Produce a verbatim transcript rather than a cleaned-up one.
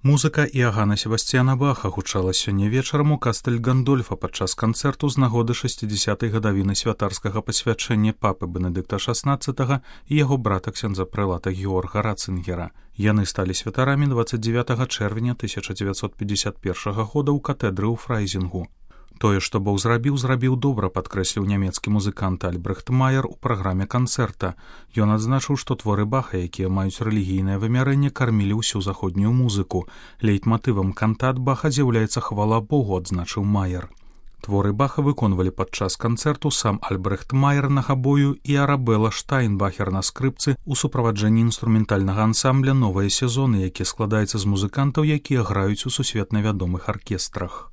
Музыка Іагана Себасцьяна Баха гучала сёння вечарам у кастэль Гандольфа падчас канцэрту з нагоды шэсцідзясятай гадавіны святарскага пасвячэння папы Бенедыкта шаснаццатага і яго брата ксяндза прэлата Георга Рацынгера. Яны сталі святарамі дваццаць дзевятага чэрвеня тысяча дзевяцьсот пятьдесят першага года ў катэдры ў Фрайзінгу. Тое, што Бог зрабіў, зрабіў добра, падкрэсліў нямецкі музыкант Альбрэхт Маер у праграме канцэрта. Ён адзначыў, што творы Баха, якія маюць рэлігійнае вымярэнне, кармілі ўсю заходнюю музыку. Лейтматывам кантат Баха з'яўляецца хвала Богу, адзначыў Маер. Творы Баха выконвалі падчас канцэрту сам Альбрэхт Маер на габою і Арабела Штайнбахер на скрыпцы ў суправаджэнні інструментальнага ансамбля «Новыя сезоны», які складаецца з музыкантаў, якія граюць у сусветна вядомых аркестрах.